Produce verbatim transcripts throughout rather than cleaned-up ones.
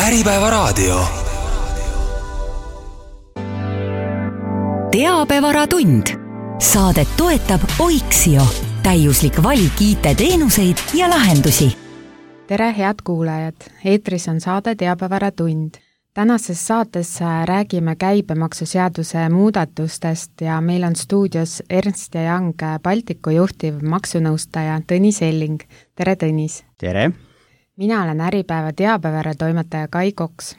Äripäevaraadio. Teabevaratund. Saadet toetab Oiksio. Täiuslik valik I T-teenuseid ja lahendusi. Tere, head kuulajad! Eetris on saade Teabevaratund. Tänases saates räägime käibemaksuseaduse muudatustest ja meil on stuudios Ernst ja Young Baltiku juhtiv maksunõustaja Tõnis Elling. Tere, Tõnis! Tere! Mina olen Äripäeva teabevaratoimetaja Kai Koks.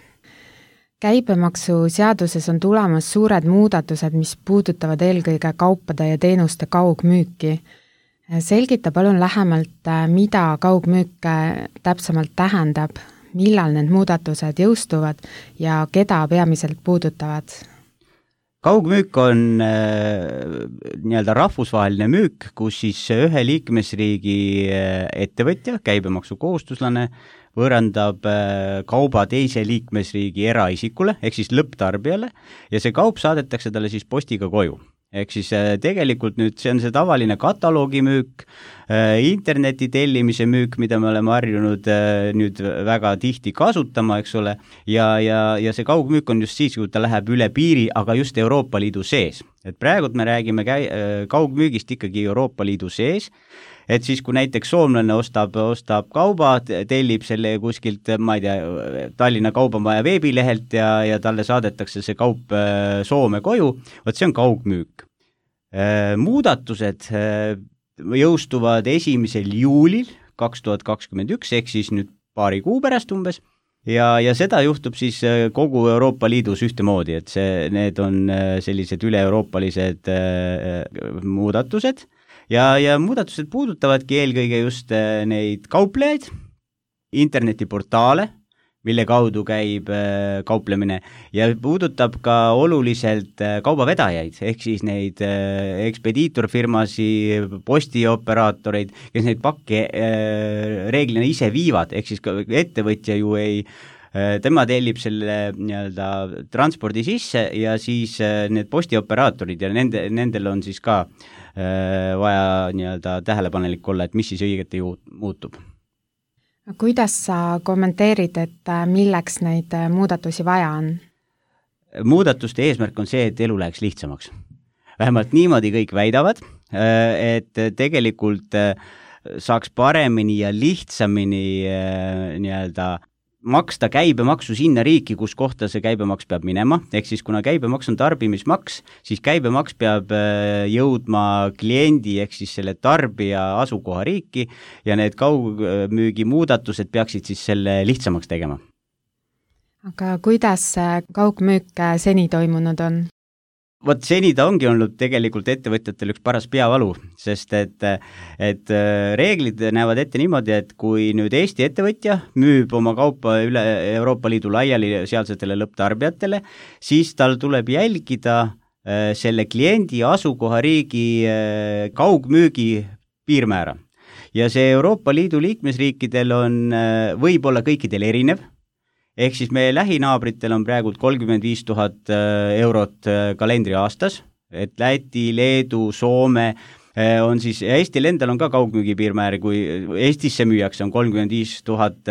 Käibemaksuseaduses on tulemas suured muudatused, mis puudutavad eelkõige kaupade ja teenuste kaugmüüki. Selgita palun lähemalt, mida kaugmüük täpsemalt tähendab, millal need muudatused jõustuvad ja keda peamiselt puudutavad? Kaugmüük on äh, nii-öelda rahvusvaheline müük, kus siis ühe liikmesriigi ettevõtja, käibemaksukohustuslane, võõrandab äh, kauba teise liikmesriigi eraisikule, ehk siis lõpptarbijale, ja see kaup saadetakse talle siis postiga koju. Ehk siis äh, tegelikult nüüd see on see tavaline kataloogimüük, äh, interneti tellimise müük, mida me oleme harjunud äh, nüüd väga tihti kasutama, eks ole, ja, ja, ja see kaugmüük on just siis, kui ta läheb üle piiri, aga just Euroopa Liidu sees. Et praegult me räägime käi-, kaugmüügist ikkagi Euroopa Liidu sees, et siis kui näiteks soomlane ostab, ostab kauba, tellib selle kuskilt, ma ei tea, Tallinna Kaubamaja veebilehelt ja, ja talle saadetakse see kaup Soome koju, võt see on kaugmüük. Muudatused jõustuvad esimesel juulil kaks tuhat kakskümmend üks, ehk siis nüüd paari kuu pärast umbes, ja, ja seda juhtub siis kogu Euroopa Liidus ühtemoodi, et see, need on sellised üle-euroopalised muudatused, Ja, ja muudatused puudutavadki eelkõige just neid kauplejaid, internetiportaale, mille kaudu käib kauplemine, ja puudutab ka oluliselt kaubavedajaid, ehk siis neid ekspediitorfirmasi, postioperaatoreid, kes neid pakke reeglina ise viivad, ehk siis ettevõtja ju ei tema tellib selle nii-öelda transpordi sisse ja siis need postioperaatorid ja nende, nendel on siis ka vaja nii-öelda tähelepanelik olla, et mis siis õigeti muutub. Kuidas sa kommenteerid, et milleks neid muudatusi vaja on? Muudatuste eesmärk on see, et elu läheks lihtsamaks. Vähemalt niimoodi kõik väidavad, et tegelikult saaks paremini ja lihtsamini nii-öelda maksta käibemaksu sinna riiki, kus kohta see käibemaks peab minema, ehk siis kuna käibemaks on tarbimismaks, siis käibemaks peab jõudma kliendi ehk siis selle tarbija asukoha riiki ja need kaugmüügi muudatused peaksid siis selle lihtsamaks tegema. Aga kuidas kaugmüük seni toimunud on? Vot seni ta ongi olnud tegelikult ettevõtjatel üks paras peavalu, sest et, et reeglid näevad ette niimoodi, et kui nüüd Eesti ettevõtja müüb oma kaupa üle Euroopa Liidu laiali sealsetele lõpptarbijatele, siis tal tuleb jälgida selle kliendi asukohariigi kaugmüügi piirmäära. Ja see Euroopa Liidu liikmesriikidel on võib-olla kõikidel erinev, ehk siis meie lähinaabritel on praegult kolmkümmend viis tuhat eurot kalendri aastas, et Läti, Leedu, Soome on siis, ja Eestil endal on ka kaugmüügi piirmäär, kui Eestisse müüakse on kolmkümmend viis tuhat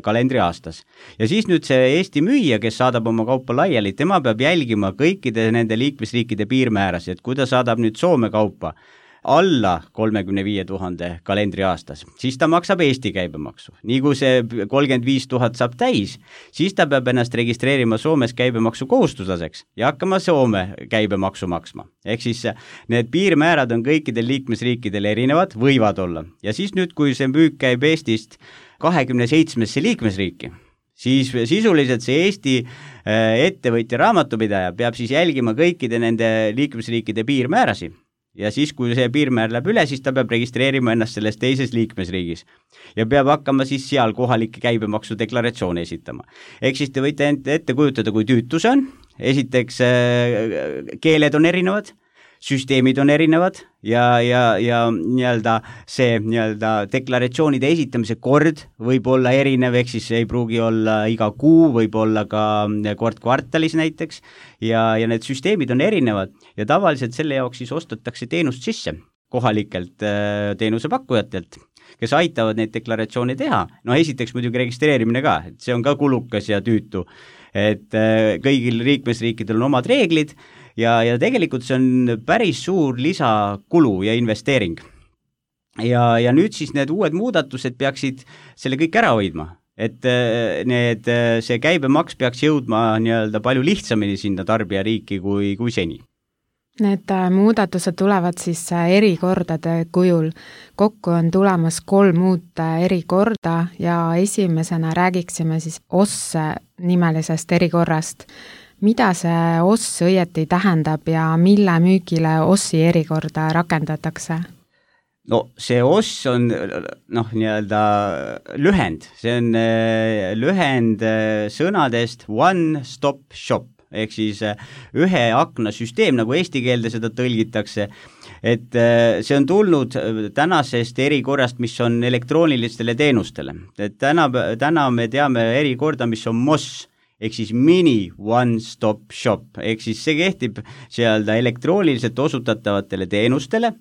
kalendri aastas. Ja siis nüüd see Eesti müüja, kes saadab oma kaupa laiali, tema peab jälgima kõikide nende liikmesriikide piirmääras, et kui ta saadab nüüd Soome kaupa alla kolmekümne viie tuhande kalendri aastas, siis ta maksab Eesti käibemaksu. Nii kui see kolmkümmend viis tuhat saab täis, siis ta peab ennast registreerima Soomes käibemaksu kohustuslaseks ja hakkama Soome käibemaksu maksma. Ehk siis need piirmäärad on kõikidel liikmesriikidel erinevad, võivad olla. Ja siis nüüd, kui see müük käib Eestist kahekümne seitsmesse liikmesriiki, siis sisuliselt see Eesti ettevõtja raamatupidaja peab siis jälgima kõikide nende liikmesriikide piirmäärasi. Ja siis, kui see piirmäär läheb üle, siis ta peab registreerima ennast selles teises liikmesriigis ja peab hakkama siis seal kohalikke käibemaksu deklaratsioone esitama. Ehk siis te võite ette kujutada, kui tüütu see on. Esiteks keeled on erinevad, süsteemid on erinevad ja, ja, ja nii-öelda see nii-öelda deklaratsioonide esitamise kord võib olla erinev, ehk siis ei pruugi olla iga kuu, võib olla ka kord kvartalis näiteks ja, ja need süsteemid on erinevad ja tavaliselt selle jaoks siis ostetakse teenust sisse kohalikelt teenusepakkujatelt kes aitavad neid deklaratsioone teha. No esiteks muidugi registreerimine ka, et see on ka kulukas ja tüütu, et kõigil liikmesriikidel on omad reeglid ja, ja tegelikult see on päris suur lisakulu ja investeering. Ja, ja nüüd siis need uued muudatused peaksid selle kõik ära hoidma, et need, see käibemaks peaks jõudma nii-öelda palju lihtsamini sinna tarbijariiki kui, kui seni. Need muudatused tulevad siis erikordade kujul. Kokku on tulemas kolm uut erikorda ja esimesena räägiksime siis O S nimelisest erikorrast. Mida see O S õieti tähendab ja mille müügile O S-i erikorda rakendatakse? No see O S on noh, nii-öelda lühend, see on lühend sõnadest One Stop Shop, ehk siis ühe akna süsteem, nagu eesti keelde seda tõlgitakse, et see on tulnud tänasest erikorrast, mis on elektroonilistele teenustele. Et täna, täna me teame erikorda, mis on M O S, ehk siis mini One Stop Shop, ehk siis see kehtib seal elektrooniliselt osutatavatele teenustele.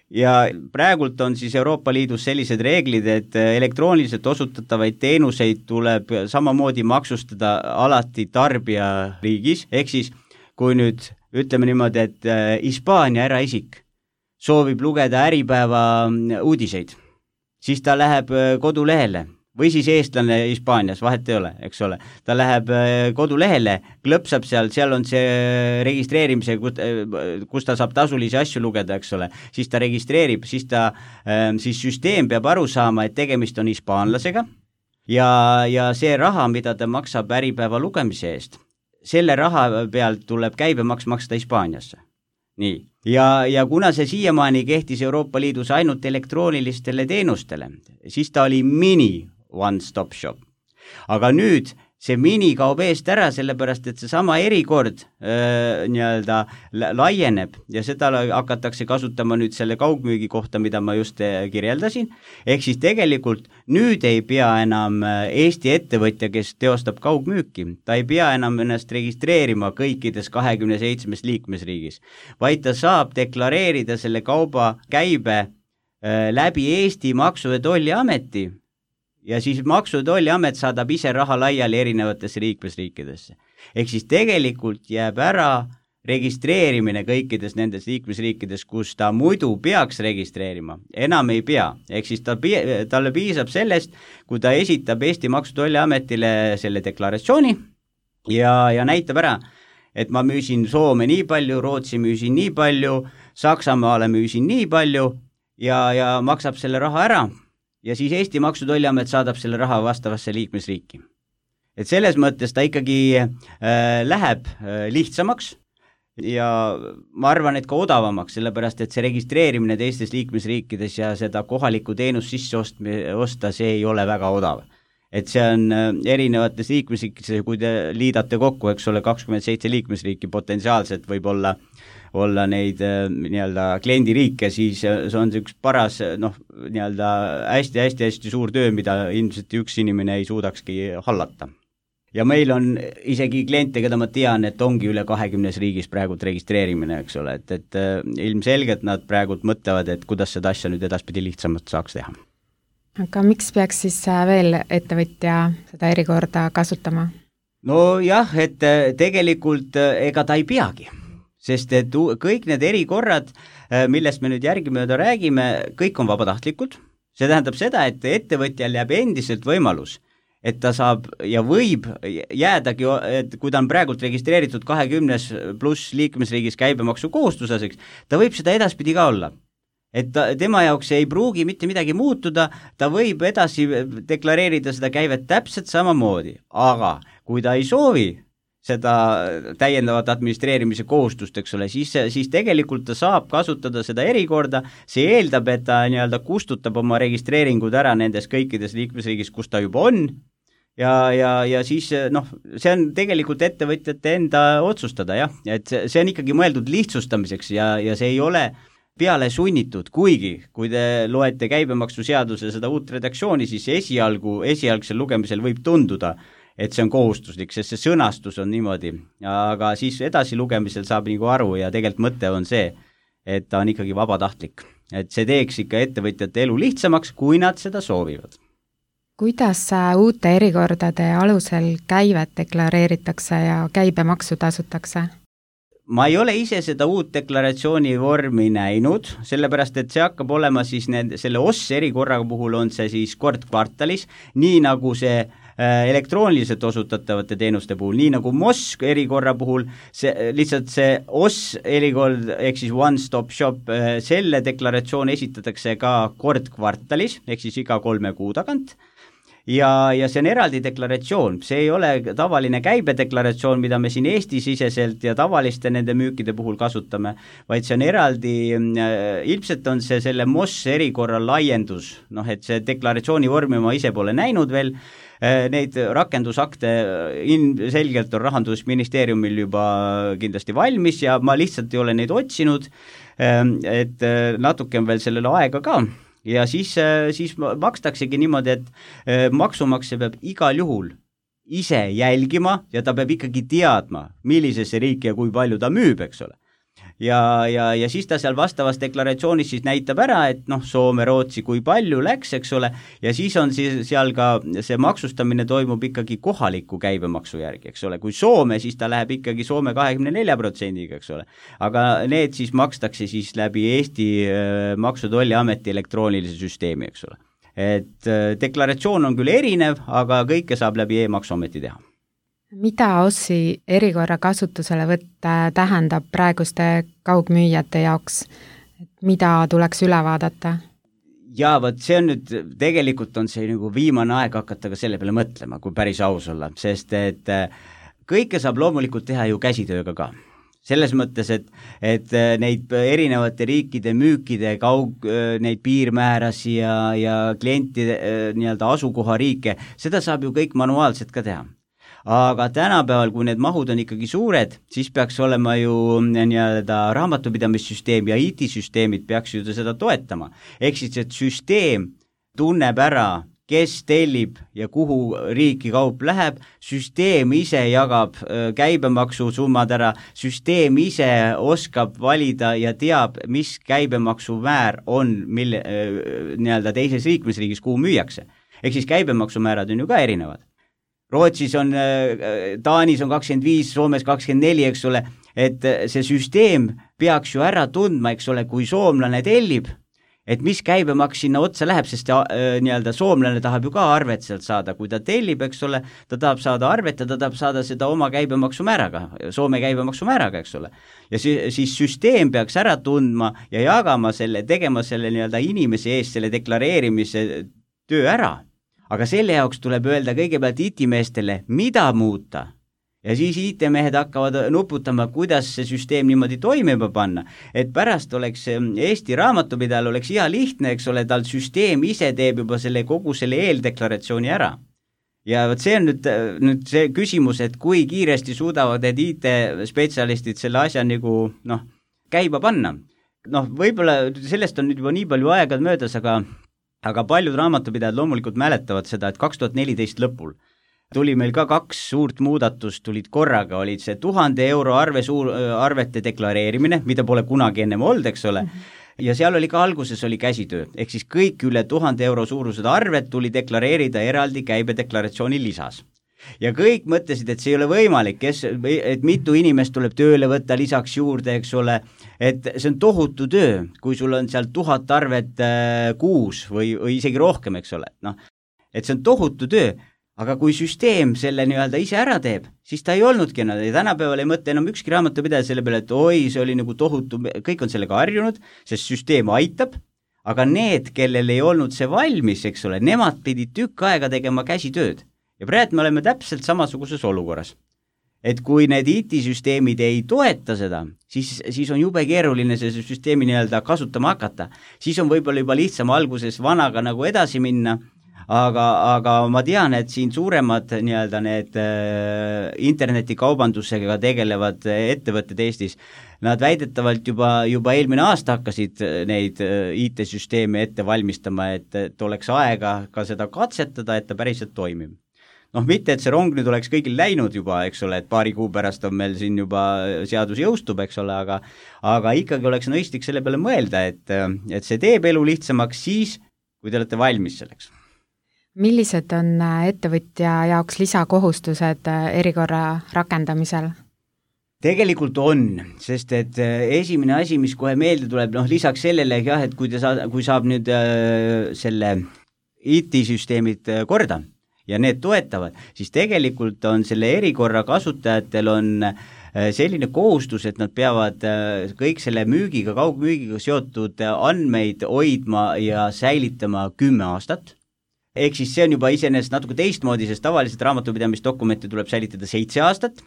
Ja praegult on siis Euroopa Liidus sellised reeglid, et elektrooniliselt osutatavaid teenuseid tuleb samamoodi maksustada alati tarbija riigis, ehk siis kui nüüd ütleme niimoodi, et Hispaania eraisik soovib lugeda Äripäeva uudiseid, siis ta läheb kodulehele või siis eestlane Hispaanias, vahet ei ole, eks ole. Ta läheb kodulehele, klõpsab seal, seal on see registreerimise, kus ta saab tasulisi asju lugeda, eks ole. Siis ta registreerib, siis, ta, siis süsteem peab aru saama, et tegemist on hispaanlasega ja, ja see raha, mida ta maksab Äripäeva lugemise eest, selle raha pealt tuleb käibemaks maksta Hispaaniasse. Nii. Ja, ja kuna see siiamaani kehtis Euroopa Liidus ainult elektroonilistele teenustele, siis ta oli mini One Stop Shop. Aga nüüd see mini kaob eest ära, sellepärast et see sama erikord äh, nii-öelda laieneb ja seda hakatakse kasutama nüüd selle kaugmüügi kohta, mida ma just kirjeldasin. Ehk siis tegelikult nüüd ei pea enam Eesti ettevõtja, kes teostab kaugmüüki, ta ei pea enam ennast registreerima kõikides kahekümne seitsmes liikmesriigis, vaid ta saab deklareerida selle kauba käibe äh, läbi Eesti Maksu- ja Tolliameti. Ja siis Maksu- ja Tolliamet saadab ise raha laiali erinevatesse liikmesriikidesse. Ehk siis tegelikult jääb ära registreerimine kõikides nendes liikmesriikides, kus ta muidu peaks registreerima, enam ei pea. Ehk siis ta, talle piisab sellest, kui ta esitab Eesti Maksu- ja Tolliametile selle deklaratsiooni ja, ja näitab ära, et ma müüsin Soome nii palju, Rootsi müüsin nii palju, Saksamaale müüsin nii palju ja, ja maksab selle raha ära. Ja siis Eesti Maksu- ja Tolliamet saadab selle raha vastavasse liikmesriiki. Et selles mõttes ta ikkagi äh, läheb äh, lihtsamaks ja ma arvan, et ka odavamaks, sellepärast et see registreerimine teistes liikmesriikides ja seda kohalikku teenust sisse osta, see ei ole väga odav. Et see on äh, erinevates liikmesriikides, kui te liidate kokku, eks ole, kakskümmend seitse liikmesriiki potentsiaalselt võib olla olla neid nii-öelda kliendiriike, siis see on see üks paras, noh, nii-öelda hästi-hästi-hästi suur töö, mida ilmselt üks inimene ei suudakski hallata. Ja meil on isegi kliente, keda ma tean, et ongi üle kahekümnes riigis praegult registreerimine, eks ole, et, et ilmselgelt nad praegult mõtlevad, et kuidas seda asja nüüd edaspidi lihtsamalt saaks teha. Aga miks peaks siis veel ettevõtja seda erikorda kasutama? No jah, et tegelikult ega ta ei peagi. Sest et kõik need erikorrad, millest me nüüd järgimööda räägime, kõik on vabatahtlikud. See tähendab seda, et ettevõtjal jääb endiselt võimalus, et ta saab ja võib jäädagi, et kui ta on praegult registreeritud kahekümnes pluss liikmesriigis käibemaksu kohustuslaseks, ta võib seda edaspidi ka olla. Et ta, tema jaoks ei pruugi mitte midagi muutuda, ta võib edasi deklareerida seda käivet täpselt samamoodi, aga kui ta ei soovi seda täiendavat administreerimise kohustust, eks ole, siis, siis tegelikult ta saab kasutada seda erikorda, see eeldab, et ta nii-öelda kustutab oma registreeringud ära nendes kõikides liikmesriigis, kus ta juba on, ja, ja, ja siis noh, see on tegelikult ettevõtjate enda otsustada, jah, et see on ikkagi mõeldud lihtsustamiseks ja, ja see ei ole peale sunnitud, kuigi kui te loete käibemaksuseaduse seda uut redaktsiooni, siis esialgu, esialgsel lugemisel võib tunduda, et see on kohustuslik, sest see sõnastus on niimoodi, aga siis edasi lugemisel saab nagu aru ja tegelikult mõte on see, et ta on ikkagi vabatahtlik. et see teeks ikka ettevõtjate elu lihtsamaks, kui nad seda soovivad. Kuidas uute erikordade alusel käivet deklareeritakse ja käibemaksu tasutakse? Ma ei ole ise seda uut deklaratsiooni vormi näinud, sellepärast et see hakkab olema siis need, selle O S erikorra puhul on see siis kord kvartalis, nii nagu see elektrooniliselt osutatavate teenuste puhul, nii nagu M O S erikorra puhul, see, lihtsalt see O S erikord, ehk siis one stop shop, selle deklaratsioon esitatakse ka kord kvartalis, ehk siis iga kolme kuu tagant, ja, ja see on eraldi deklaratsioon, see ei ole tavaline käibedeklaratsioon, mida me siin Eesti-siseselt ja tavaliste nende müükide puhul kasutame, vaid see on eraldi, ilmselt on see selle M O S erikorra laiendus, noh et see deklaratsiooni vormi ma ise pole näinud veel, neid rakendusakte ilmselgelt on Rahandusministeeriumil juba kindlasti valmis ja ma lihtsalt ei ole neid otsinud, et natuke on veel sellele aega ka. Ja siis, siis makstaksegi niimoodi, et maksumaksja peab igal juhul ise jälgima ja ta peab ikkagi teadma, millisesse riiki ja kui palju ta müüb, eks ole. Ja, ja, ja siis ta seal vastavas deklaratsioonis siis näitab ära, et noh, Soome, Rootsi, kui palju läks, eks ole, ja siis on siis seal ka see maksustamine toimub ikkagi kohaliku käibemaksu järgi, eks ole, kui Soome, siis ta läheb ikkagi Soome kahekümne nelja protsendiga, eks ole, aga need siis makstakse siis läbi Eesti Maksu- ja Tolliameti elektroonilise süsteemi, eks ole. Et deklaratsioon on küll erinev, aga kõike saab läbi e-maksuameti teha. Mida O S-i erikorra kasutuselevõtt tähendab praeguste kaugmüüjate jaoks? Mida tuleks üle vaadata? Jaa, võt see on nüüd, tegelikult on see nagu viimane aeg hakata ka selle peale mõtlema, kui päris aus olla, sest et kõike saab loomulikult teha ju käsitööga ka. Selles mõttes, et, et neid erinevate riikide müükide kaug, neid piirmäärasi ja, ja klientide nii-öelda asukohariike, seda saab ju kõik manuaalselt ka teha. Aga tänapäeval, kui need mahud on ikkagi suured, siis peaks olema ju nii-öelda raamatupidamissüsteem ja I T-süsteemid peaks ju seda toetama. Ehk siis, et süsteem tunneb ära, kes tellib ja kuhu riiki kaup läheb, süsteem ise jagab käibemaksu summad ära, süsteem ise oskab valida ja teab, mis käibemaksumäär on mille, nii-öelda teises liikmesriigis, kuhu müüakse. Ehk siis käibemaksumäärad on ju ka erinevad. Rootsis on, Taanis on kakskümmend viis, Soomes kakskümmend neli, eks ole, et see süsteem peaks ju ära tundma, eks ole, kui soomlane tellib, et mis käibemaks sinna otsa läheb, sest nii-öelda soomlane tahab ju ka arvet sealt saada, kui ta tellib, eks ole, ta tahab saada arvet ja ta tahab saada seda oma käibemaksumääraga, Soome käibemaksumääraga, eks ole. Ja siis süsteem peaks ära tundma ja jagama selle, tegema selle nii-öelda inimese eest selle deklareerimise töö ära. Aga selle jaoks tuleb öelda kõigepealt I T-meestele, mida muuta. Ja siis I T-mehed hakkavad nuputama, kuidas see süsteem niimoodi toimima panna. Et pärast oleks Eesti raamatupidajal oleks hea lihtne, eks ole, tal süsteem ise teeb juba selle kogu selle eeldeklaratsiooni ära. Ja see on nüüd, nüüd see küsimus, et kui kiiresti suudavad need I T-spetsialistid selle asja nagu, noh, käiba panna. Noh, võib-olla sellest on nüüd juba nii palju aega möödas, aga aga paljud raamatupidajad loomulikult mäletavad seda, et kaks tuhat neliteist lõpul tuli meil ka kaks suurt muudatust, tulid korraga, olid see tuhande euro arve suur, arvete deklareerimine, mida pole kunagi ennem olnud, eks ole, ja seal oli ka alguses oli käsitöö, ehk siis kõik üle tuhande euro suurused arved tuli deklareerida eraldi käibedeklaratsiooni lisas. Ja kõik mõtlesid, et see ei ole võimalik, kes, et mitu inimest tuleb tööle võtta lisaks juurde, eks ole, et see on tohutu töö, kui sul on seal tuhat arvet äh, kuus või, või isegi rohkem, eks ole, noh, et see on tohutu töö, aga kui süsteem selle nii-öelda ise ära teeb, siis ta ei olnudki enam, ja tänapäeval ei mõtle enam ükski raamatupidaja selle peale, et oi, see oli nagu tohutu, kõik on sellega harjunud, sest süsteem aitab, aga need, kellel ei olnud see valmis, eks ole, nemad pidid tükk aega tegema käsitööd. Ja praegu me oleme täpselt samasuguses olukorras. Et kui need I T-süsteemid ei toeta seda, siis, siis on jube keeruline see süsteemi nii-öelda kasutama hakata. Siis on võib-olla juba lihtsam alguses vanaga nagu edasi minna, aga, aga ma tean, et siin suuremad nii-öelda need äh, internetikaubandusega tegelevad ettevõtted Eestis, nad väidetavalt juba, juba eelmine aasta hakkasid neid I T-süsteeme ette valmistama, et, et oleks aega ka seda katsetada, et ta päriselt toimib. noh, mitte, et see rong nüüd oleks kõigil läinud juba, eks ole, et paari kuu pärast on meil siin juba seadus jõustub, eks ole, aga aga ikkagi oleks mõistlik selle peale mõelda, et, et see teeb elu lihtsamaks siis, kui te olete valmis selleks. Millised on ettevõtja jaoks lisakohustused erikorra rakendamisel? Tegelikult on, sest et esimene asi, mis kohe meelde tuleb, noh lisaks sellele, jah, et kui, te saa, kui saab nüüd äh, selle I T-süsteemid korda ja need toetavad, siis tegelikult on selle erikorra kasutajatel on selline kohustus, et nad peavad kõik selle müügiga, kaugmüügiga seotud andmeid hoidma ja säilitama kümme aastat. Ehk siis see on juba iseenesest natuke teistmoodi, sest tavaliselt raamatupidamisdokumente tuleb säilitada seitse aastat,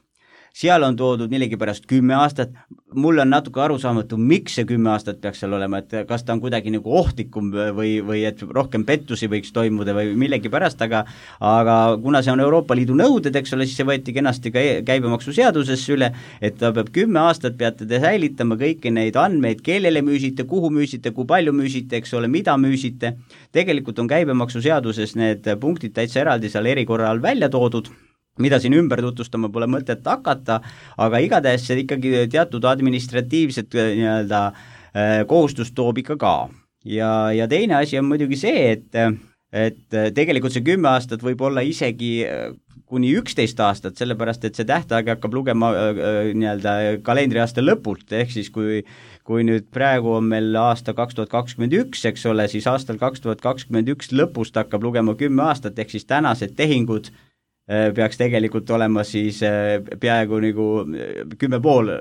seal on toodud millegi pärast kümme aastat, mul on natuke arusaamatu, miks see kümme aastat peaks seal olema, et kas ta on kuidagi nagu ohtlikum või, või et rohkem pettusi võiks toimuda või millegi pärast, aga aga kuna see on Euroopa Liidu nõuded, eks ole, siis see võeti kenasti ka käibemaksuseadusesse üle, et ta peab kümme aastat peate te säilitama kõiki neid andmeid, kellele müüsite, kuhu müüsite, kui palju müüsite, eks ole, mida müüsite. Tegelikult on käibemaksuseaduses need punktid täitsa eraldi seal erikorra all välja toodud, mida siin ümber tutvustama pole mõtet hakata, aga igatahes see ikkagi teatud administratiivset nii-öelda kohustust toob ikka ka. Ja, ja teine asi on muidugi see, et, et tegelikult see kümme aastat võib olla isegi kuni üksteist aastat, sellepärast et see tähtaeg hakkab lugema nii-öelda kalendriaasta lõpult, ehk siis kui kui nüüd praegu on meil aasta kaks tuhat kakskümmend üks, eks ole, siis aastal kaks tuhat kakskümmend üks lõpust hakkab lugema kümme aastat, ehk siis tänased tehingud peaks tegelikult olema siis peaaegu nagu kümme pool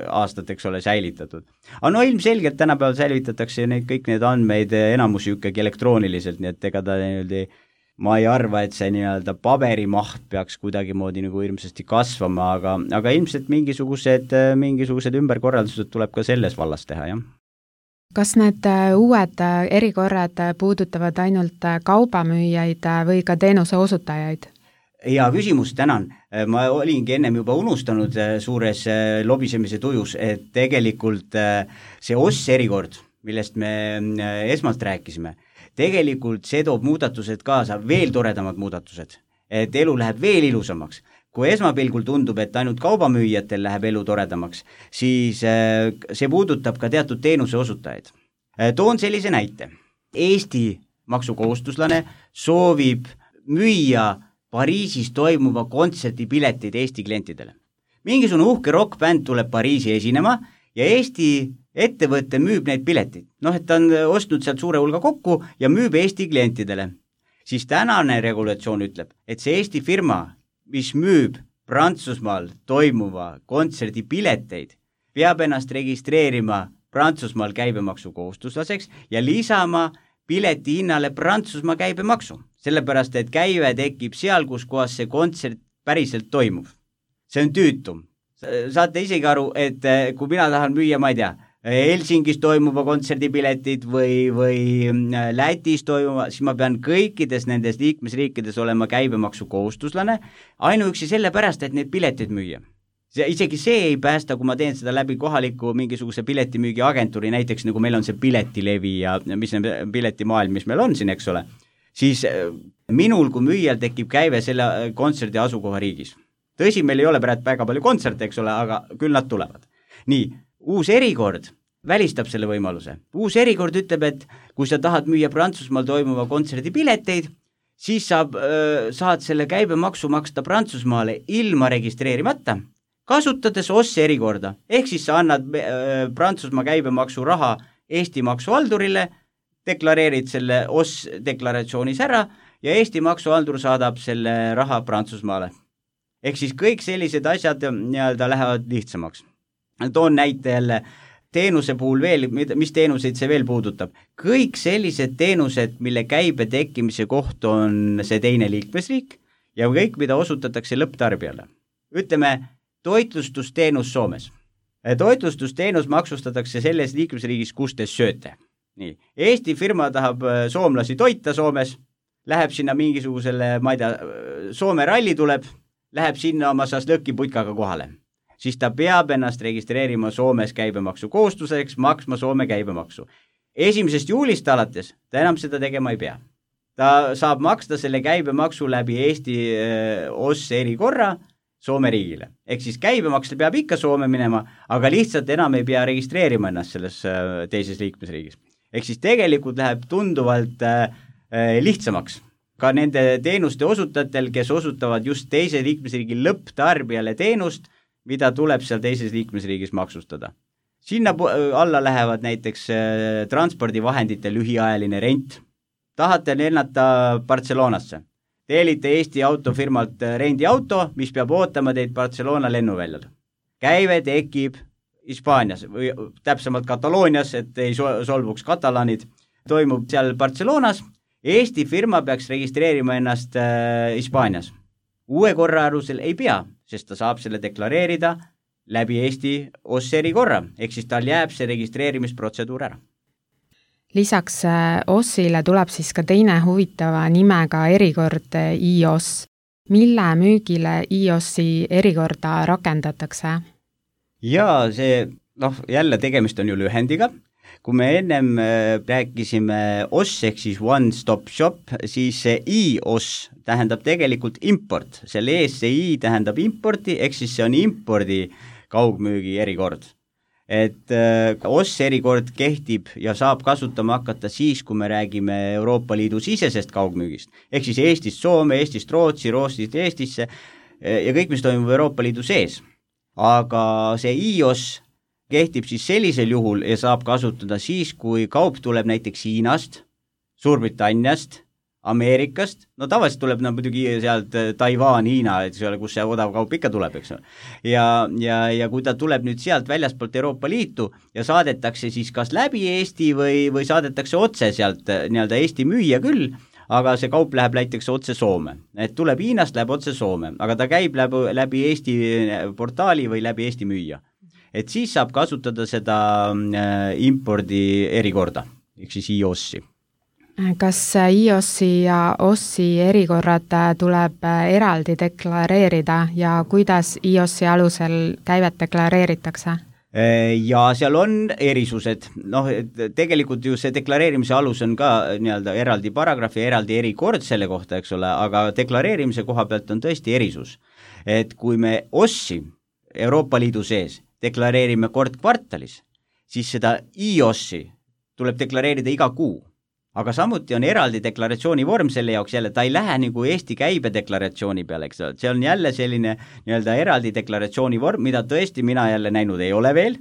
aastat, eks ole, säilitatud. Aga no ilmselgelt tänapäeval säilitatakse neid, kõik need andmeid enamusi ikkagi elektrooniliselt, nii et ega ta nii-öelda, ma ei arva, et see nii-öelda paberimaht peaks kuidagi moodi nagu hirmsasti kasvama, aga, aga ilmselt mingisugused, mingisugused ümberkorraldused tuleb ka selles vallas teha, jah. Kas need uued erikorrad puudutavad ainult kaubamüüjaid või ka teenuse osutajaid? Hea küsimus, tänan. Ma olingi ennem juba unustanud suures lobisemise tujus, et tegelikult see O S erikord, millest me esmalt rääkisime, tegelikult see toob muudatused kaasa, veel toredamad muudatused, et elu läheb veel ilusamaks. Kui esmapilgul tundub, et ainult kaubamüüjatel läheb elu toredamaks, siis see puudutab ka teatud teenuse osutajaid. Toon sellise näite. Eesti maksukohustuslane soovib müüa Pariisis toimuva kontserdipiletid Eesti klientidele. Mingisugune uhke rock-bänd tuleb Pariisi esinema ja Eesti ettevõte müüb neid piletid. Noh, et ta on ostnud sealt suure hulga kokku ja müüb Eesti klientidele. Siis tänane regulatsioon ütleb, et see Eesti firma, mis müüb Prantsusmaal toimuva kontserdipileteid, peab ennast registreerima Prantsusmaal käibemaksukohustuslaseks ja lisama pileti hinnale Prantsusmaa käibemaksu, sellepärast et käive tekib seal, kus kohas see kontsert päriselt toimub. See on tüütum. Saate isegi aru, et kui mina tahan müüa, ma ei tea, Helsingis toimuva kontserdipiletid või, või Lätis toimuva, siis ma pean kõikides nendes liikmesriikides olema käibemaksukohustuslane, ainuüksi sellepärast, et need piletid müüa. See, isegi see ei päästa, kui ma teen seda läbi kohaliku mingisuguse piletimüügi agentuuri, näiteks nagu meil on see piletilevi ja mis on piletimaailm, mis meil on siin, eks ole, siis minul kui müüjal tekib käive selle kontserdi asukoha riigis. Tõsi, meil ei ole praegu väga palju kontserte, eks ole, aga küll nad tulevad. Nii, uus erikord välistab selle võimaluse. Uus erikord ütleb, et kui sa tahad müüa Prantsusmaal toimuva kontserdipileteid, siis saab, saad selle käibemaksu maksta Prantsusmaale ilma registreerimata, kasutades O S erikorda, ehk siis sa annad äh, Prantsusmaa käibemaksu raha Eesti maksuhaldurile, deklareerid selle O S deklaratsioonis ära ja Eesti maksuhaldur saadab selle raha Prantsusmaale. Ehk siis kõik sellised asjad nii-öelda lähevad lihtsamaks. Toon näite jälle teenuse puhul veel, mis teenuseid see veel puudutab. Kõik sellised teenused, mille käibe tekkimise koht on see teine liikmesriik ja kõik, mida osutatakse lõpptarbijale. Ütleme, toitlustusteenus Soomes. Toitlustusteenus maksustatakse selles liikmesriigis, kus te sööte. Nii. Eesti firma tahab soomlasi toita Soomes, läheb sinna mingisugusele, ma ei tea, Soome ralli tuleb, läheb sinna oma saslõkiputkaga kohale. Siis ta peab ennast registreerima Soomes käibemaksu kohustuseks, maksma Soome käibemaksu. Esimesest juulist alates ta enam seda tegema ei pea. ta saab maksta selle käibemaksu läbi Eesti O S erikorra Soome riigile. Ehk siis käibemaks peab ikka Soome minema, aga lihtsalt enam ei pea registreerima ennast selles teises liikmesriigis. Ehk siis tegelikult läheb tunduvalt lihtsamaks ka nende teenuste osutajatel, kes osutavad just teise liikmesriigi lõpptarbijale teenust, mida tuleb seal teises liikmesriigis maksustada. Sinna alla lähevad näiteks transpordivahendite lühiajaline rent. Tahate lennata Barcelonasse. Teelite Eesti autofirmalt rendiauto, mis peab ootama teid Barcelona lennuväljal. Käive tekib Hispaanias või täpsemalt Kataloonias, et ei solvuks katalaanid. Toimub seal Barcelonas. Eesti firma peaks registreerima ennast Hispaanias. Uue korra alusel ei pea, sest ta saab selle deklareerida läbi Eesti O S erikorra, ehk siis tal jääb see registreerimisprotseduur ära. Lisaks O S-ile tuleb siis ka teine huvitava nimega erikord I O S. Mille müügile I O S-i erikorda rakendatakse? Jaa, see, noh, jälle tegemist on ju lühendiga. Kui me ennem rääkisime O S ehk siis One Stop Shop, siis see I O S tähendab tegelikult import. Selle ees see I tähendab importi, ehk siis see on impordi kaugmüügi erikord. Et O S erikord kehtib ja saab kasutama hakata siis, kui me räägime Euroopa Liidu sisesest kaugmüügist. Ehk siis Eestist Soome, Eestist Rootsi, Rootsist Eestisse ja kõik, mis toimub Euroopa Liidu sees. Aga see I O S kehtib siis sellisel juhul ja saab kasutada siis, kui kaup tuleb näiteks Hiinast, Suurbritanniast, Ameerikast, no tavaliselt tuleb no, muidugi sealt Taiwan, Hiina, et see ole, kus see odav kaup ikka tuleb, eks ole. Ja, ja, ja kui ta tuleb nüüd sealt väljaspoolt Euroopa Liitu ja saadetakse siis kas läbi Eesti või, või saadetakse otse sealt nii-öelda Eesti müüja küll, aga see kaup läheb näiteks otse Soome. Et tuleb Hiinast, läheb otse Soome, aga ta käib läbi, läbi Eesti portaali või läbi Eesti müüja. Et siis saab kasutada seda impordi erikorda, ehk siis I O S-i. Kas I O S-i ja O S-i erikorrad tuleb eraldi deklareerida ja kuidas I O S-i alusel käivet deklareeritakse? Ja seal on erisused. Noh, tegelikult ju see deklareerimise alus on ka nii-öelda eraldi paragrahv ja eraldi erikord selle kohta, eks ole, aga deklareerimise koha pealt on tõesti erisus. Et kui me O S-i Euroopa Liidu sees deklareerime kord kvartalis, siis seda I O S-i tuleb deklareerida iga kuu. Aga samuti on eraldi deklaratsiooni vorm selle jaoks jälle, ta ei lähe nagu Eesti käibedeklaratsiooni peale, eks ole. See on jälle selline nii-öelda eraldi deklaratsiooni vorm, mida tõesti mina jälle näinud ei ole veel,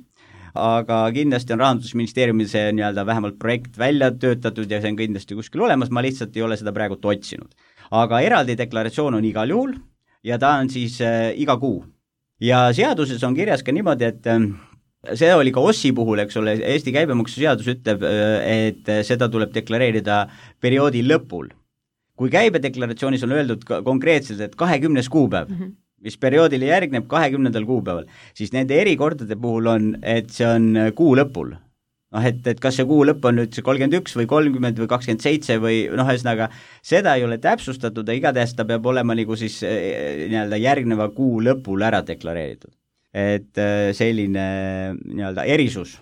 aga kindlasti on Rahandusministeeriumil see nii-öelda vähemalt projekt välja töötatud ja see on kindlasti kuskil olemas, ma lihtsalt ei ole seda praegu otsinud. Aga eraldi deklaratsioon on igal juhul ja ta on siis äh, iga kuu. Ja seaduses on kirjas ka niimoodi, et äh, see oli ka O S-i puhul, eks ole, Eesti käibemaksuseadus ütleb, et seda tuleb deklareerida perioodi lõpul. Kui käibedeklaratsioonis on öeldud konkreetselt, et kahekümnes kuupäev, mm -hmm. mis perioodile järgneb kahekümnendal kuupäeval, siis nende erikordade puhul on, et see on kuu lõpul. Noh, et, et kas see kuu lõpp on nüüd see kolmkümmend üks või kolmkümmend või kakskümmend seitse või noh, ühesõnaga seda ei ole täpsustatud ja igatahes ta peab olema nagu siis nii-öelda järgneva kuu lõpul ära deklareeritud. Et selline nii-öelda erisus,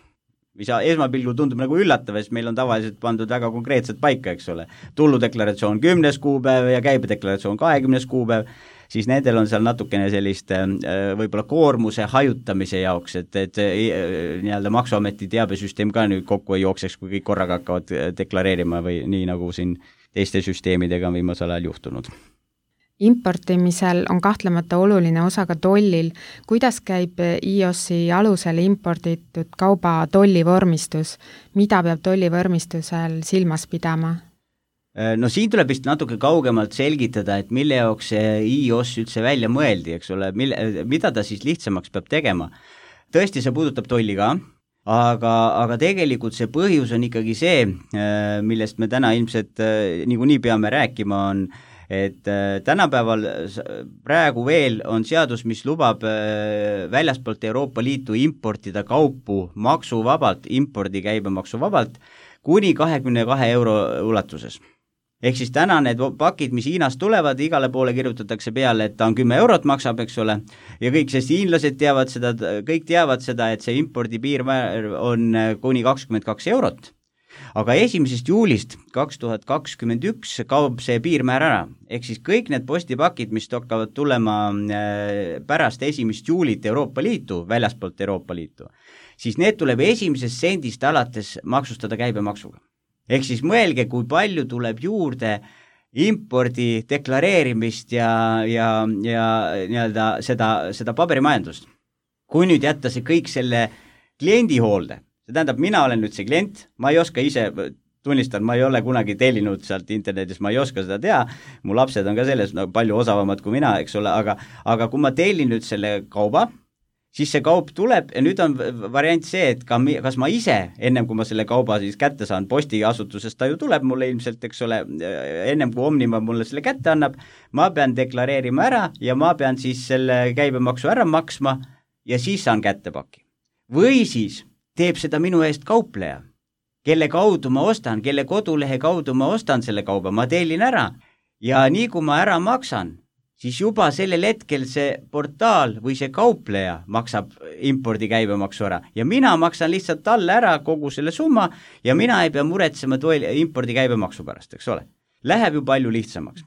mis esmapilgul tundub nagu üllatav, sest meil on tavaliselt pandud väga konkreetselt paika, eks ole. Tulludeklaratsioon kümnes kuupäev ja käibedeklaratsioon kahekümnes kuupäev, siis nendel on seal natukene sellist võib-olla koormuse hajutamise jaoks, et, et nii-öelda Maksuameti teabesüsteem ka nüüd kokku ei jookseks, kui kõik korraga hakkavad deklareerima või nii nagu siin teiste süsteemidega on viimasel ajal juhtunud. Importimisel on kahtlemata oluline osa ka tollil. Kuidas käib I O S-i alusel imporditud kauba tollivormistus? Mida peab tollivormistusel silmas pidama? No siin tuleb vist natuke kaugemalt selgitada, et mille jaoks see I O S üldse välja mõeldi, eks ole, mille, mida ta siis lihtsamaks peab tegema. Tõesti, see puudutab tolli ka, aga, aga tegelikult see põhjus on ikkagi see, millest me täna ilmselt niikuinii peame rääkima, on et tänapäeval praegu veel on seadus, mis lubab väljaspoolt Euroopa Liitu importida kaupu maksuvabalt, impordi käibemaksuvabalt kuni kahekümne kahe euro ulatuses. Ehk siis täna need pakid, mis Hiinast tulevad, igale poole kirjutatakse peale, et ta on kümme eurot maksab, eks ole, ja kõik, sest hiinlased teavad seda, kõik teavad seda, et see impordi piirmäär on kuni kakskümmend kaks eurot. aga esimesest juulist kaks tuhat kakskümmend üks kaob see piirmäär ära, ehk siis kõik need postipakid, mis hakkavad tulema pärast esimest juulit Euroopa Liitu, väljaspoolt Euroopa Liitu, siis need tuleb esimesest sendist alates maksustada käibemaksuga. Ehk siis mõelge, kui palju tuleb juurde impordi deklareerimist ja, ja, ja nii-öelda seda, seda paberimajandust. Kui nüüd jätta see kõik selle kliendi hoolde, see tähendab, mina olen nüüd see klient, ma ei oska ise, tunnistan, ma ei ole kunagi tellinud sealt internetis, ma ei oska seda teha, mu lapsed on ka selles no, palju osavamad kui mina, eks ole, aga, aga kui ma tellin nüüd selle kauba, siis see kaup tuleb ja nüüd on variant see, et ka, kas ma ise, ennem kui ma selle kauba siis kätte saan, postiasutusest ta ju tuleb mulle ilmselt, eks ole, ennem kui Omniva mulle selle kätte annab, ma pean deklareerima ära ja ma pean siis selle käibemaksu ära maksma ja siis saan kätte paki. Või siis teeb seda minu eest kaupleja, kelle kaudu ma ostan, kelle kodulehe kaudu ma ostan selle kauba, ma tellin ära ja nii kui ma ära maksan, siis juba sellel hetkel see portaal või see kaupleja maksab impordi käibemaksu ära ja mina maksan lihtsalt talle ära kogu selle summa ja mina ei pea muretsema toel, impordi käibemaksu pärast, eks ole. Läheb ju palju lihtsamaks.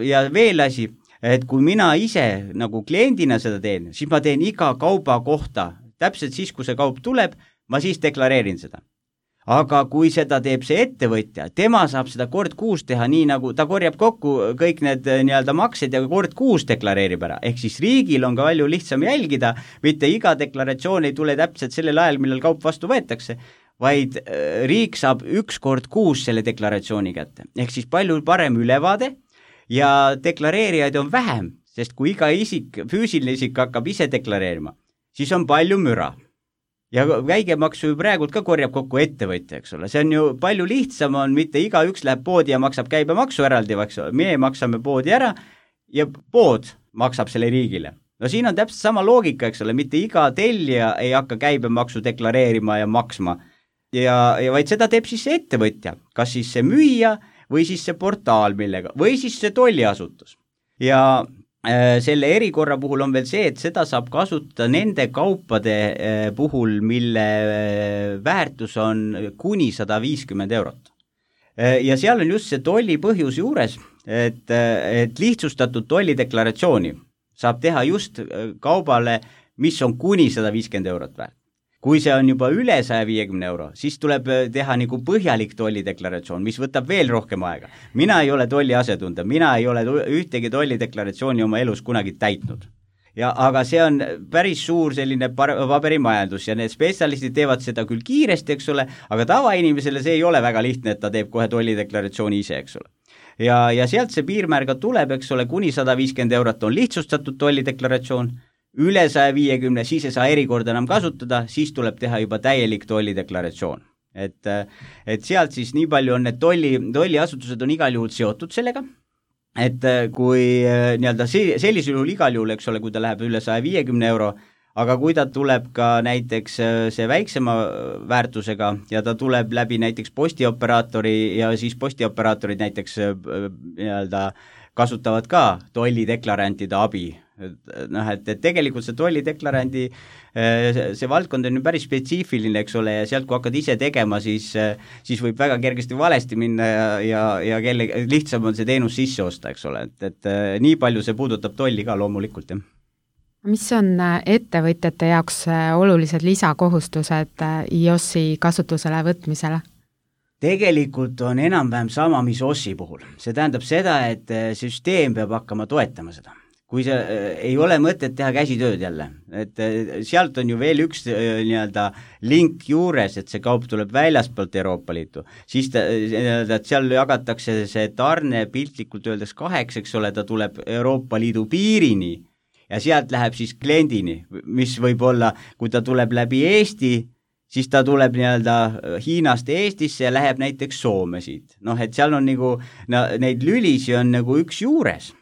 Ja veel asi, et kui mina ise nagu kliendina seda teen, siis ma teen iga kauba kohta, täpselt siis, kui see kaup tuleb, ma siis deklareerin seda. Aga kui seda teeb see ettevõtja, tema saab seda kord kuus teha nii, nagu ta korjab kokku kõik need nii-öelda maksed ja kord kuus deklareerib ära. Ehk siis riigil on ka palju lihtsam jälgida, mitte iga deklaratsioon ei tule täpselt sellel ajal, millal kaup vastu võetakse, vaid riik saab üks kord kuus selle deklaratsiooni kätte. Ehk siis palju parem ülevaade ja deklareerijaid on vähem, sest kui iga isik, füüsiline isik hakkab ise deklareerima, siis on palju müra. Ja käibemaksu ju praegult ka korjab kokku ettevõtja, eks ole. See on ju palju lihtsam, on mitte iga üks läheb poodi ja maksab käibemaksu eraldi, eks ole. Meie maksame poodi ära ja pood maksab selle riigile. No siin on täpselt sama loogika, eks ole, mitte iga tellija ei hakka käibemaksu deklareerima ja maksma. Ja, ja vaid seda teeb siis see ettevõtja, kas siis see müüja või siis see portaal millega, või siis see tolliasutus. Ja selle erikorra puhul on veel see, et seda saab kasutada nende kaupade puhul, mille väärtus on kuni sada viiskümmend eurot. Ja seal on just see tolli põhjus juures, et, et lihtsustatud tollideklaratsiooni saab teha just kaubale, mis on kuni sada viiskümmend eurot väärt. Kui see on juba üle saja viiekümne euro, siis tuleb teha nagu põhjalik tollideklaratsioon, mis võtab veel rohkem aega. Mina ei ole tolli asetunda, mina ei ole ühtegi tollideklaratsiooni oma elus kunagi täitnud. Ja, aga see on päris suur selline paberimajandus ja need spetsialistid teevad seda küll kiiresti, eks ole, aga tavainimesele see ei ole väga lihtne, et ta teeb kohe tollideklaratsiooni ise, eks ole. Ja, ja sealt see piirmäär ka tuleb, eks ole, kuni sada viiskümmend eurot on lihtsustatud tollideklaratsioon, üle saja viiekümne, siis ei saa erikorda enam kasutada, siis tuleb teha juba täielik tollideklaratsioon. Et, et sealt siis nii palju on need tolli, tolliasutused on igal juhul seotud sellega, et kui nii-öelda sellisel juhul igal juhul, eks ole, kui ta läheb üle saja viiekümne euro, aga kui ta tuleb ka näiteks see väiksema väärtusega ja ta tuleb läbi näiteks postioperaatori ja siis postiooperaatorid näiteks nii-öelda kasutavad ka tollideklarantide abi. Noh, et, et tegelikult see tollideklarandi, see valdkond on ju päris spetsiifiline, eks ole, ja sealt kui hakkad ise tegema, siis, siis võib väga kergesti valesti minna ja, ja, ja kelle, lihtsam on see teenus sisse osta, eks ole, et, et nii palju see puudutab tolli ka loomulikult, jah. Mis on ettevõtjate jaoks olulised lisakohustused I O S-i kasutusele võtmisele? Tegelikult on enam-vähem sama, mis O S-i puhul. See tähendab seda, et süsteem peab hakkama toetama seda. Kui see ei ole mõtet teha käsitööd jälle, et sealt on ju veel üks nii-öelda link juures, et see kaup tuleb väljaspoolt Euroopa Liitu, siis ta, et seal jagatakse see tarne piltlikult öeldes kaheks, eks ole, ta tuleb Euroopa Liidu piirini ja sealt läheb siis kliendini, mis võib olla, kui ta tuleb läbi Eesti, siis ta tuleb nii-öelda Hiinast Eestisse ja läheb näiteks Soome siit. Noh, et seal on nagu, no, neid lülisi on nagu üks juures.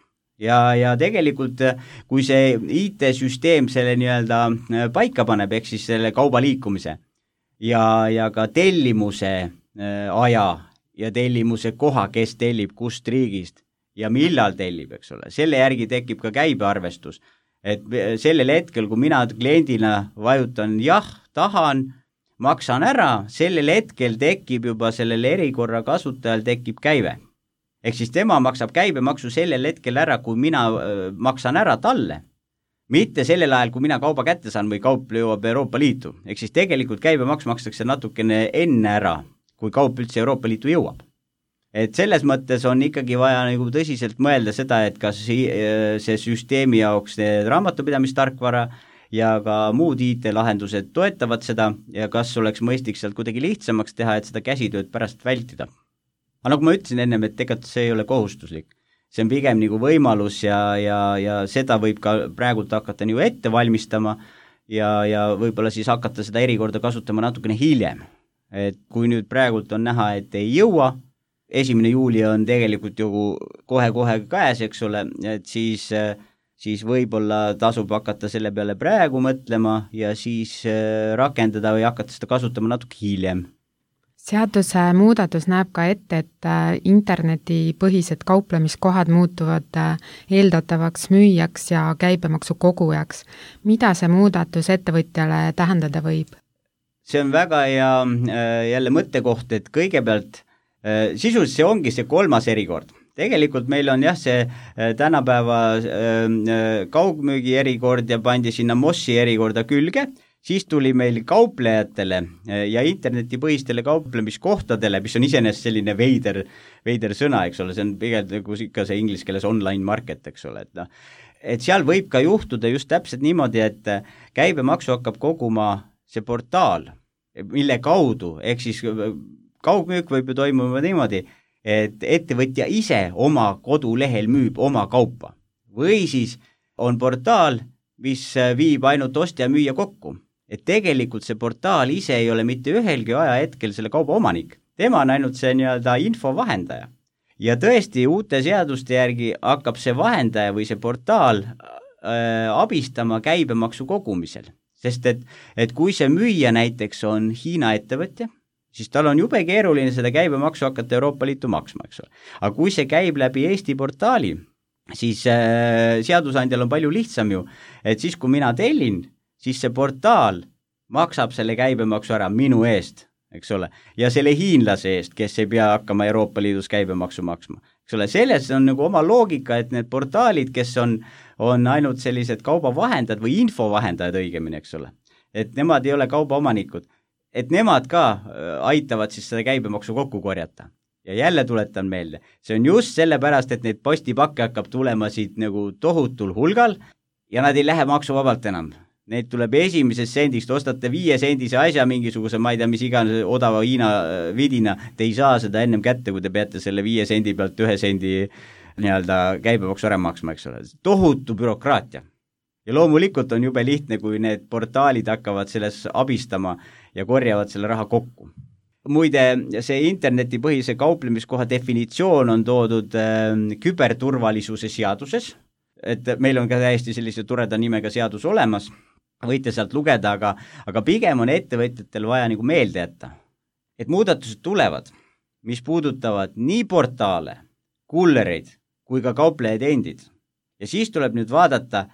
Ja, ja tegelikult, kui see I T-süsteem selle nii-öelda paika paneb, ehk siis selle kauba liikumise ja, ja ka tellimuse aja ja tellimuse koha, kes tellib kust riigist ja millal tellib, eks ole, selle järgi tekib ka käibearvestus. Et sellel hetkel, kui mina kliendina vajutan jah, tahan, maksan ära, sellel hetkel tekib juba sellel erikorra kasutajal tekib käive. Ehk siis tema maksab käibemaksu sellel hetkel ära, kui mina maksan ära talle. Mitte sellel ajal, kui mina kauba kätte saan või kaup jõuab Euroopa Liitu. Ehk siis tegelikult käibemaks makstakse natukene enne ära, kui kaup üldse Euroopa Liitu jõuab. Et selles mõttes on ikkagi vaja nagu tõsiselt mõelda seda, et kas see süsteemi jaoks raamatupidamistarkvara ja ka muud I T-lahendused toetavad seda ja kas oleks mõistlik sealt kuidagi lihtsamaks teha, et seda käsitööd pärast vältida. Aga nagu ma ütlesin ennem, et tegelikult see ei ole kohustuslik. See on pigem nagu võimalus ja, ja, ja seda võib ka praegult hakata nagu ette valmistama ja, ja võib-olla siis hakata seda erikorda kasutama natukene hiljem. Et kui nüüd praegult on näha, et ei jõua, esimene juuli on tegelikult ju kohe-kohe käes, eks ole, et siis, siis võib-olla tasub hakata selle peale praegu mõtlema ja siis rakendada või hakata seda kasutama natuke hiljem. Seaduse muudatus näeb ka ette, et internetipõhised kauplemiskohad muutuvad eeldatavaks müüjaks ja käibemaksu kogujaks. Mida see muudatus ettevõtjale tähendada võib? See on väga hea jälle mõttekoht, et kõigepealt sisuliselt see ongi see kolmas erikord. Tegelikult meil on jah see tänapäeva kaugmüügi erikord ja pandi sinna Mossi erikorda külge. Siis tuli meil kauplejatele ja internetipõhistele kauplemiskohtadele, mis on iseenesest selline veider, veider sõna, eks ole, see on pigem nagu ikka see inglise keeles online market, eks ole, et, no, et seal võib ka juhtuda just täpselt niimoodi, et käibemaksu hakkab koguma see portaal, mille kaudu, ehk siis kaugmüük võib ju toimuma niimoodi, et ettevõtja ise oma kodulehel müüb oma kaupa või siis on portaal, mis viib ainult ostja ja müüja kokku. Et tegelikult see portaal ise ei ole mitte ühelgi aja hetkel selle kauba omanik. Tema on ainult see nii-öelda infovahendaja. Ja tõesti uute seaduste järgi hakkab see vahendaja või see portaal äh, abistama käibemaksu kogumisel. Sest et, et kui see müüja näiteks on Hiina ettevõtja, siis tal on jube keeruline seda käibemaksu hakata Euroopa Liitu maksma, eks ole. Aga kui see käib läbi Eesti portaali, siis äh, seadusandjal on palju lihtsam ju, et siis kui mina tellin, siis see portaal maksab selle käibemaksu ära minu eest, eks ole, ja selle hiinlase eest, kes ei pea hakkama Euroopa Liidus käibemaksu maksma. Eks ole, selles on nagu oma loogika, et need portaalid, kes on, on ainult sellised kaubavahendajad või infovahendajad õigemini, eks ole, et nemad ei ole kaubaomanikud, et nemad ka aitavad siis seda käibemaksu kokku korjata. Ja jälle tuletan meelde, see on just sellepärast, et neid postipakke hakkab tulema siit nagu tohutul hulgal ja nad ei lähe maksuvabalt enam. Neid tuleb esimesest sendist, ostate viie sendise asja mingisuguse, ma ei tea, mis iganes odava Hiina vidina, te ei saa seda ennem kätte, kui te peate selle viie sendi pealt ühe sendi nii-öelda käibemaksu ära maksma, eks ole. Tohutu bürokraatia. Ja loomulikult on jube lihtne, kui need portaalid hakkavad selles abistama ja korjavad selle raha kokku. Muide, see internetipõhise kauplemiskoha definitsioon on toodud äh, küberturvalisuse seaduses, et meil on ka täiesti sellise toreda nimega seadus olemas, võite sealt lugeda, aga, aga pigem on ettevõtjatel vaja nagu meelde jätta, et muudatused tulevad, mis puudutavad nii portaale, kullereid kui ka kauplejaid endid. Ja siis tuleb nüüd vaadata,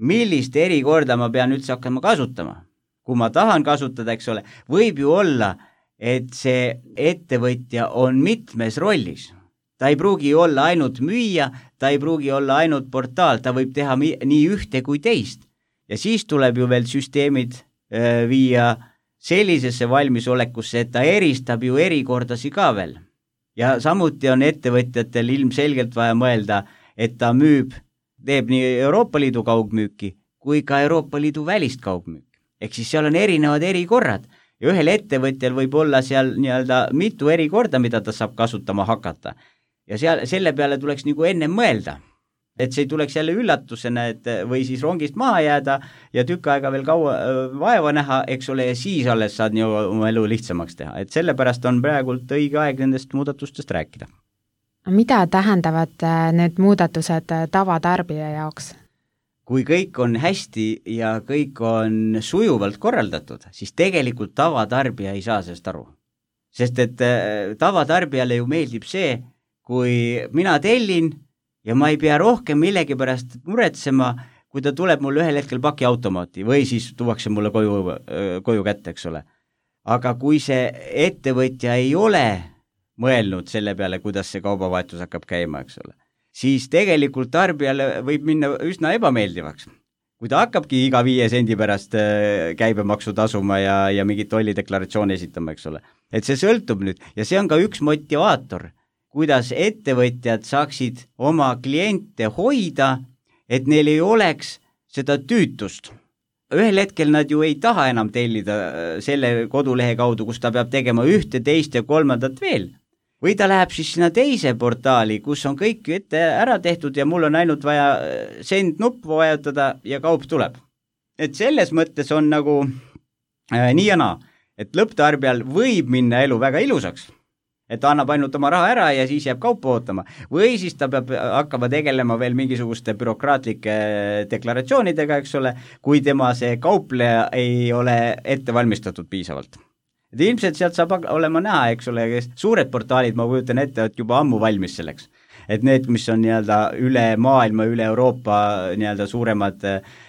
millist erikorda ma pean üldse hakkama kasutama. Kui ma tahan kasutada, eks ole, võib ju olla, et see ettevõtja on mitmes rollis. Ta ei pruugi olla ainult müüja, ta ei pruugi olla ainult portaal, ta võib teha nii ühte kui teist. Ja siis tuleb ju veel süsteemid äh, viia sellisesse valmisolekusse, et ta eristab ju erikordasi ka veel. Ja samuti on ettevõtjatel ilmselgelt vaja mõelda, et ta müüb, teeb nii Euroopa Liidu kaugmüüki kui ka Euroopa Liidu välist kaugmüüki. Ehk siis seal on erinevad erikorrad. Ja ühel ettevõtjal võib olla seal nii-öelda mitu erikorda, mida ta saab kasutama hakata. Ja seal, selle peale tuleks nagu enne mõelda, et see tuleks jälle üllatusena, et või siis rongist maha jääda ja tükk aega veel kaua vaeva näha, eks ole, ja siis alles saad nii oma elu lihtsamaks teha. Et sellepärast on praegult õige aeg nendest muudatustest rääkida. Mida tähendavad need muudatused tavatarbija jaoks? Kui kõik on hästi ja kõik on sujuvalt korraldatud, siis tegelikult tavatarbija ei saa sellest aru. Sest et tavatarbijale ju meeldib see, kui mina tellin ja ma ei pea rohkem millegi pärast muretsema, kui ta tuleb mulle ühel hetkel pakiautomaati või siis tuuakse mulle koju, koju kätte, eks ole. aga kui see ettevõtja ei ole mõelnud selle peale, kuidas see kaubavahetus hakkab käima, eks ole, siis tegelikult tarbijale võib minna üsna ebameeldivaks. Kui ta hakkabki iga viie sendi pärast käibemaksu tasuma ja, ja mingit tollideklaratsiooni esitama, eks ole. Et see sõltub nüüd ja see on ka üks motivaator, kuidas ettevõtjad saaksid oma kliente hoida, et neil ei oleks seda tüütust. Ühel hetkel nad ju ei taha enam tellida selle kodulehe kaudu, kus ta peab tegema ühte, teist ja kolmandat veel. Või ta läheb siis sinna teise portaali, kus on kõik ette ära tehtud ja mul on ainult vaja send nuppu vajutada ja kaup tuleb. Et selles mõttes on nagu äh, nii ja naa, et lõpptarbijal võib minna elu väga ilusaks, et ta annab ainult oma raha ära ja siis jääb kaupa ootama. Või siis ta peab hakkama tegelema veel mingisuguste bürokraatlike deklaratsioonidega, eks ole, kui tema see kaupleja ei ole ette valmistatud piisavalt. Et ilmselt sealt saab olema näha, eks ole, suured portaalid, ma kujutan ette, et juba ammu valmis selleks. Et need, mis on nii-öelda üle maailma, üle Euroopa nii-öelda suuremad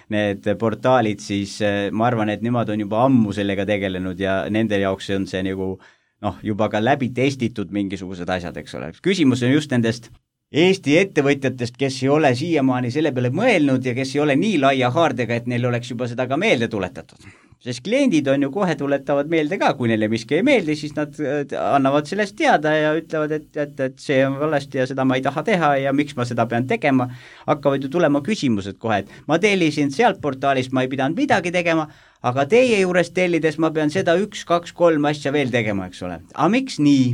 need portaalid, siis ma arvan, et nemad on juba ammu sellega tegelenud ja nende jaoks on see nagu noh, juba ka läbi testitud mingisugused asjad, eks ole. Küsimus on just nendest Eesti ettevõtjatest, kes ei ole siiamaani selle peale mõelnud ja kes ei ole nii laia haardega, et neil oleks juba seda ka meelde tuletatud. Sest kliendid on ju kohe tuletavad meelde ka, kui neile miski ei meeldi, siis nad annavad sellest teada ja ütlevad, et, et, et see on valesti ja seda ma ei taha teha ja miks ma seda pean tegema. Hakkavad ju tulema küsimused kohe, et ma tellisin sealt portaalist, ma ei pidanud midagi tegema, aga teie juures tellides ma pean seda üks, kaks, kolm asja veel tegema, eks ole. Aga miks nii?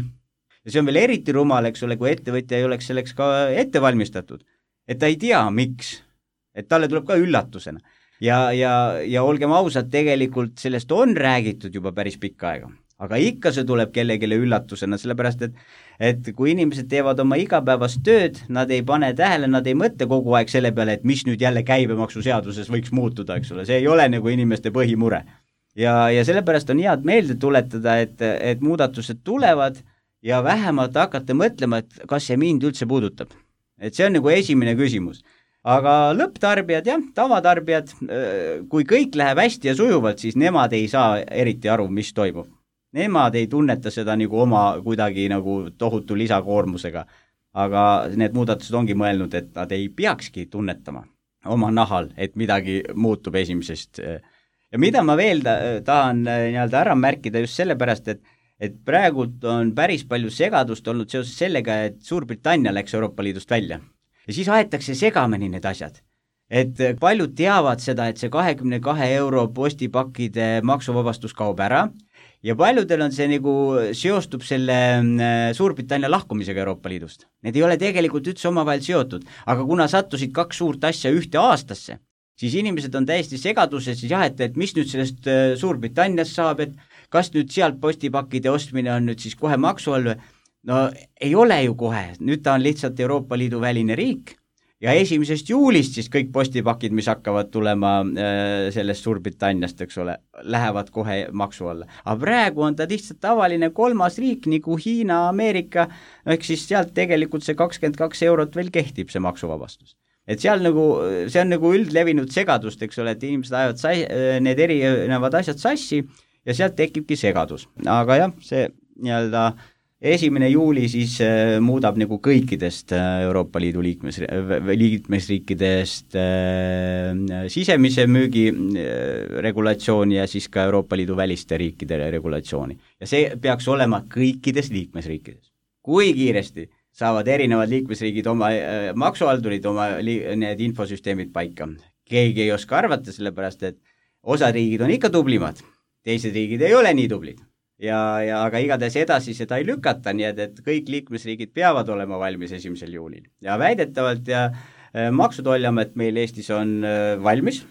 Ja see on veel eriti rumal, eks ole, kui ettevõtja ei oleks selleks ka ette valmistatud. Et ta ei tea, miks. Et talle tuleb ka üllatusena. Ja, ja, ja olgem ausad, tegelikult sellest on räägitud juba päris pikka aega. Aga ikka see tuleb kellegile üllatusena, sellepärast, et, et kui inimesed teevad oma igapäevast tööd, nad ei pane tähele, nad ei mõtle kogu aeg selle peale, et mis nüüd jälle käibemaksuseaduses võiks muutuda, eks ole. See ei ole nagu inimeste põhimure. Ja, ja sellepärast on head meelde tuletada, et, et muudatused tulevad ja vähemalt hakata mõtlema, et kas see mind üldse puudutab. Et see on nagu esimene küsimus. Aga lõpptarbijad, jah, tavatarbijad, kui kõik läheb hästi ja sujuvalt, siis nemad ei saa eriti aru, mis toimub. Nemad ei tunneta seda nagu oma kuidagi nagu tohutu lisakoormusega, aga need muudatused ongi mõelnud, et nad ei peakski tunnetama oma nahal, et midagi muutub esimesest. Ja mida ma veel tahan nii-öelda ära märkida just sellepärast, et, et praegult on päris palju segadust olnud seoses sellega, et Suurbritannia läks Euroopa Liidust välja. Ja siis aetakse segamini need asjad. Et paljud teavad seda, et see kahekümne kahe euro postipakkide maksuvabastus kaob ära ja paljudel on see nagu seostub selle Suurbritannia lahkumisega Euroopa Liidust. Need ei ole tegelikult üldse omavahel seotud, aga kuna sattusid kaks suurt asja ühte aastasse, siis inimesed on täiesti segaduses, siis jah, et, et mis nüüd sellest Suurbritanniast saab, et kas nüüd sealt postipakkide ostmine on nüüd siis kohe maksu all või? No ei ole ju kohe, nüüd ta on lihtsalt Euroopa Liidu väline riik ja esimesest juulist siis kõik postipakid, mis hakkavad tulema äh, sellest Suurbritanniast, eks ole, lähevad kohe maksu alla. Aga praegu on ta lihtsalt tavaline kolmas riik nagu Hiina, Ameerika, ehk siis sealt tegelikult see kakskümmend kaks eurot veel kehtib see maksuvabastus. Et seal nagu, see on nagu üldlevinud segadust, eks ole, et inimesed ajavad sai, need erinevad asjad sassi ja sealt tekibki segadus. Aga jah, see nii-öelda esimene juuli siis äh, muudab nagu kõikidest äh, Euroopa Liidu liikmes, liikmesriikidest äh, sisemise müügi äh, regulatsiooni ja siis ka Euroopa Liidu väliste riikide regulatsiooni. Ja see peaks olema kõikides liikmesriikides. Kui kiiresti saavad erinevad liikmesriigid oma äh, maksuhaldurid, oma li- need infosüsteemid paika. Keegi ei oska arvata, sellepärast et osad riigid on ikka tublimad, teised riigid ei ole nii tublid. Ja, ja aga igatahes edasi seda ei lükata, nii et, et kõik liikmesriigid peavad olema valmis esimesel juulil. Ja väidetavalt ja Maksu-Tolliamet meil Eestis on valmis.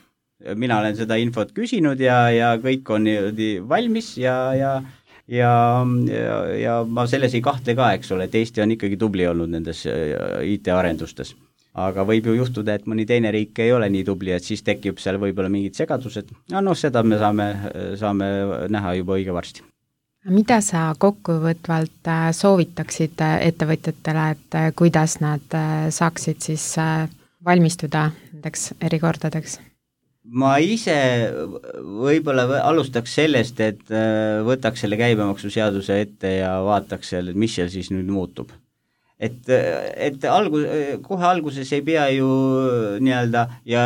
Mina olen seda infot küsinud ja, ja kõik on valmis ja, ja, ja, ja, ja ma selles ei kahtle ka, eks ole, et Eesti on ikkagi tubli olnud nendes I T-arendustes. Aga võib ju juhtuda, et mõni teine riik ei ole nii tubli, et siis tekib seal võib-olla mingid segadused. Ja noh, seda me saame, saame näha juba õige varsti. Mida sa kokkuvõtvalt soovitaksid ettevõtjatele, et kuidas nad saaksid siis valmistuda nendeks erikordadeks? ma ise võib-olla alustaks sellest, et võtaks selle käibemaksuseaduse ette ja vaataks seal, et mis seal siis nüüd muutub. Et, et algus, kohe alguses ei pea ju nii-öelda ja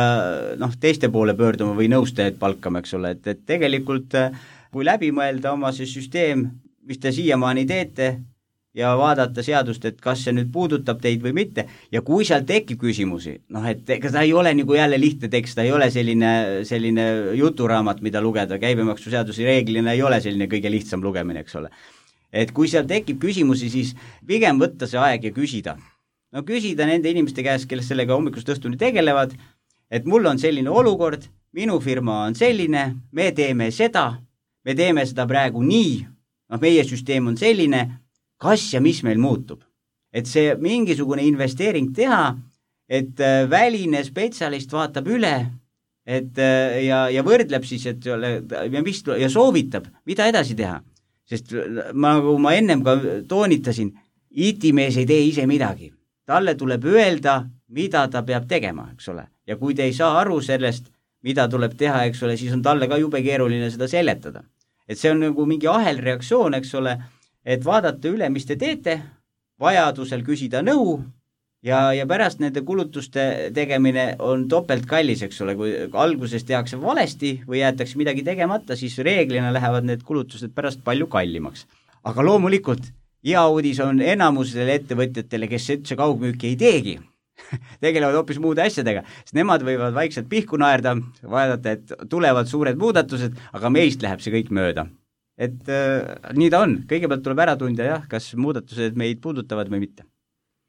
noh, teiste poole pöörduma või nõustajaid palkama, eks ole, et, et tegelikult kui läbi mõelda oma see süsteem, mis te siiamaani teete, ja vaadata seadust, et kas see nüüd puudutab teid või mitte, ja kui seal tekib küsimusi, noh, et ega ta ei ole nagu jälle lihtne tekst, ta ei ole selline, selline juturaamat, mida lugeda, käibemaksuseaduse reeglina ei ole selline kõige lihtsam lugemine, eks ole. Et kui seal tekib küsimusi, siis pigem võtta see aeg ja küsida. No küsida nende inimeste käest, kes sellega hommikust õhtuni tegelevad, et mul on selline olukord, minu firma on selline, me teeme seda, me teeme seda praegu nii, noh, meie süsteem on selline, kas ja mis meil muutub. Et see mingisugune investeering teha, et väline spetsialist vaatab üle et, ja, ja võrdleb siis, et ja, mis, ja soovitab, mida edasi teha. Sest nagu ma ennem ka toonitasin, I T-mees ei tee ise midagi. Talle tuleb öelda, mida ta peab tegema, eks ole. Ja kui te ei saa aru sellest, mida tuleb teha, eks ole, siis on talle ka jube keeruline seda seletada. Et see on nagu mingi ahelreaktsioon, eks ole, et vaadata üle, mis te teete, vajadusel küsida nõu ja, ja pärast nende kulutuste tegemine on topelt kallis, eks ole, kui alguses tehakse valesti või jäetakse midagi tegemata, siis reeglina lähevad need kulutused pärast palju kallimaks. Aga loomulikult, hea uudis on enamusele ettevõtjatele, kes üldse kaugmüüki ei teegi, tegelevad hoopis muude asjadega, sest nemad võivad vaikselt pihku naerda, vaadata, et tulevad suured muudatused, aga meist läheb see kõik mööda. Et äh, nii ta on, kõigepealt tuleb ära tunda jah, kas muudatused meid puudutavad või mitte.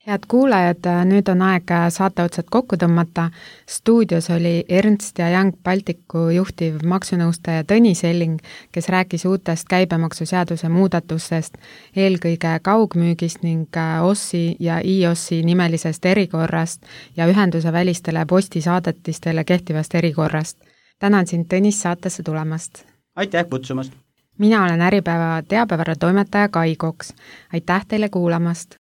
Head kuulajad, nüüd on aeg saate otsad kokku tõmmata. Stuudios oli Ernst ja Young Balticu juhtiv maksunõustaja Tõnis Elling, kes rääkis uutest käibemaksuseaduse muudatustest, eelkõige kaugmüügist ning O S I ja I O S I nimelisest erikorrast ja ühenduse välistele postisaadetistele kehtivast erikorrast. Tänan sind, Tõnis, saatesse tulemast. Aitäh kutsumast! Mina olen Äripäeva teabevara toimetaja Kai Koks. Aitäh teile kuulamast!